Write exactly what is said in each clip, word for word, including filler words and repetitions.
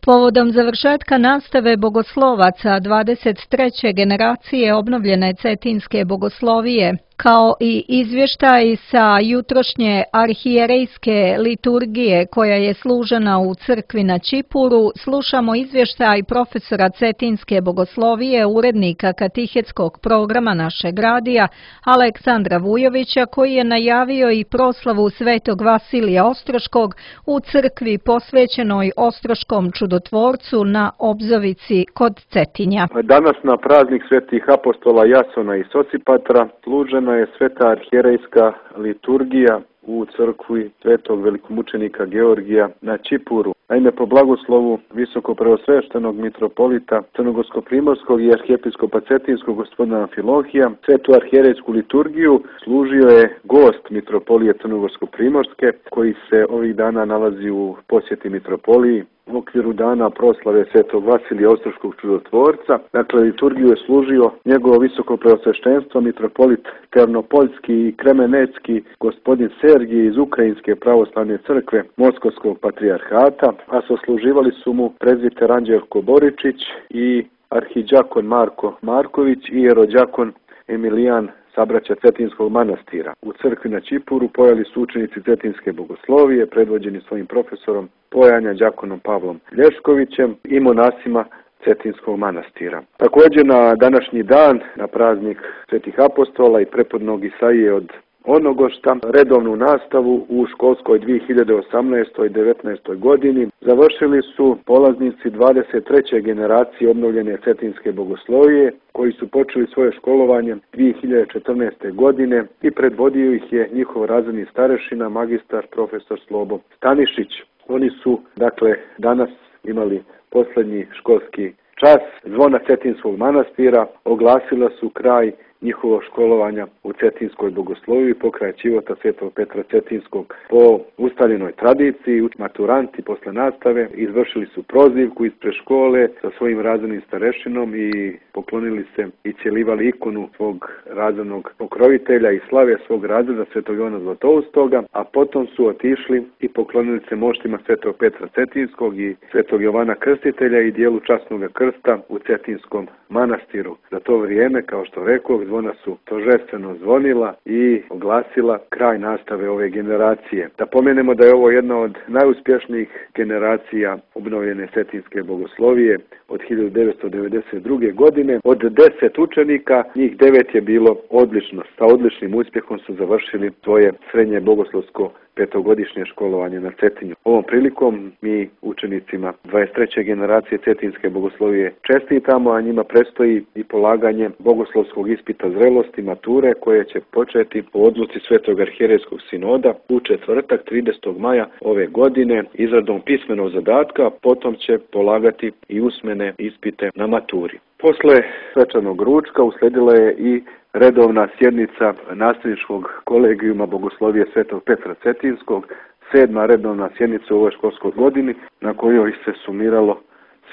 Povodom završetka nastave bogoslovaca dvadeset treće generacije obnovljene Cetinske bogoslovije, kao i izvještaj sa jutrošnje arhijerejske liturgije koja je služena u crkvi na Ćipuru, slušamo izvještaj profesora Cetinske bogoslovije, urednika katehetskog programa našeg radija, Aleksandra Vujovića, koji je najavio i proslavu Svetog Vasilija Ostroškog u crkvi posvećenoj Ostroškom čudotvorcu na Obzovici kod Cetinja. Danas na praznik svetih apostola Jasona i Sosipatra služena je sveta arhijerejska liturgija u crkvi svetog velikomučenika Georgija na Ćipuru. Naime, po blagoslovu visokopreosveštenog mitropolita Crnogorsko-primorskog i arhijepiskopa Cetinskog gospodina Amfilohija, svetu arhijerejsku liturgiju služio je gost mitropolije Crnogorsko-primorske, koji se ovih dana nalazi u posjeti mitropoliji u okviru dana proslave svetog Vasilija Ostroškog čudotvorca. Dakle, liturgiju je služio njegovo visoko preosveštenstvo mitropolit Ternopoljski i Kremenecki gospodin Sergij iz Ukrajinske pravoslavne crkve Moskovskog patrijarhata, a sosluživali su mu prezbiter Anđelko Boričić i arhidžakon Marko Marković i jerodžakon Emilijan sabraća Cetinskog manastira. U crkvi na Ćipuru pojeli su učenici Cetinske bogoslovije, predvođeni svojim profesorom pojanja đakonom Pavlom Lješkovićem i monasima Cetinskog manastira. Također na današnji dan, na praznik svetih apostola i prepodnog Isaije od Onogošta, redovnu nastavu u školskoj dvije hiljade osamnaestoj devetnaestoj godini završili su polaznici dvadeset treće generacije obnovljene Cetinske bogoslovije, koji su počeli svoje školovanje dvije hiljade četrnaeste. godine i predvodio ih je njihov razredni starešina, magistar profesor Slobo Stanišić. Oni su, dakle, danas imali posljednji školski čas. Zvona Cetinskog manastira oglasila su kraj njihovo školovanja u Cetinskoj bogosloviji, pokraj života svetog Petra Cetinskog. Po ustaljenoj tradiciji, maturanti posle nastave izvršili su prozivku ispred škole sa svojim razrednim starešinom i poklonili se i cijelivali ikonu svog razrednog pokrovitelja i slave svog razreda svetog Jovana Zlatoustoga, a potom su otišli i poklonili se moštima svetog Petra Cetinskog i svetog Jovana Krstitelja i dijelu časnog krsta u Cetinskom manastiru. Za to vrijeme, kao što rekao, zvona su торжествено zvonila i oglasila kraj nastave ove generacije. Da pomenemo da je ovo jedna od najuspješnijih generacija obnovljene Cetinske bogoslovije od hiljadu devetsto devedeset druge. godine. Od deset učenika, njih devet je bilo odlično. Sa odličnim uspjehom su završili svoje srednje bogoslovsko petogodišnje školovanje na Cetinju. Ovom prilikom mi učenicima dvadeset treće generacije Cetinske bogoslovije čestitamo, a njima predstoji i polaganje bogoslovskog ispita zrelosti, mature, koje će početi po odluci Svetog arhijerejskog sinoda u četvrtak tridesetog maja ove godine izradom pismenog zadatka, potom će polagati i usmene ispite na maturi. Posle svečanog ručka usledila je i redovna sjednica nastavničkog kolegijuma bogoslovije svetog Petra Cetinskog, sedma redovna sjednica u ovoj školskoj godini, na kojoj se sumiralo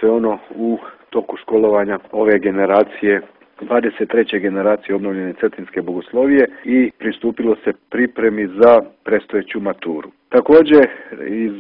sve ono u toku školovanja ove generacije, dvadeset treće generacije obnovljene Cetinske bogoslovije, i pristupilo se pripremi za predstojeću maturu. Također iz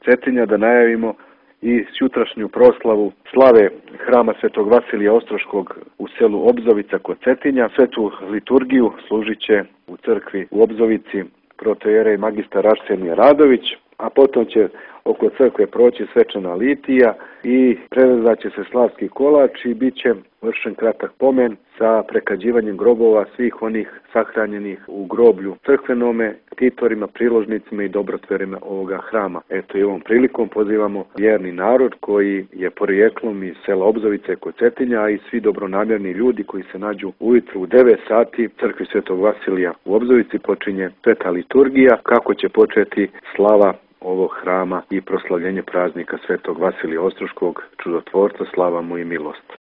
Cetinja da najavimo i sutrašnju proslavu slave hrama svetog Vasilija Ostroškog u selu Obzovica kod Cetinja. Svetu liturgiju služit će u crkvi u Obzovici protojerej magistar Arsenije Radović, a potom će oko crkve proći svečana litija i prerezat će se slavski kolač i bit će vršen kratak pomen sa prekađivanjem grobova svih onih sahranjenih u groblju crkvenome, titorima, priložnicima i dobrotverima ovoga hrama. Eto, i ovom prilikom pozivamo vjerni narod koji je porijeklom iz sela Obzovice kod Cetinja, a i svi dobronamjerni ljudi koji se nađu ujutru u devet sati crkvi svetog Vasilija u Obzovici počinje sveta liturgija, kako će početi slava ovog hrama i proslavljenje praznika svetog Vasilija Ostroškog čudotvorca, slava mu i milost.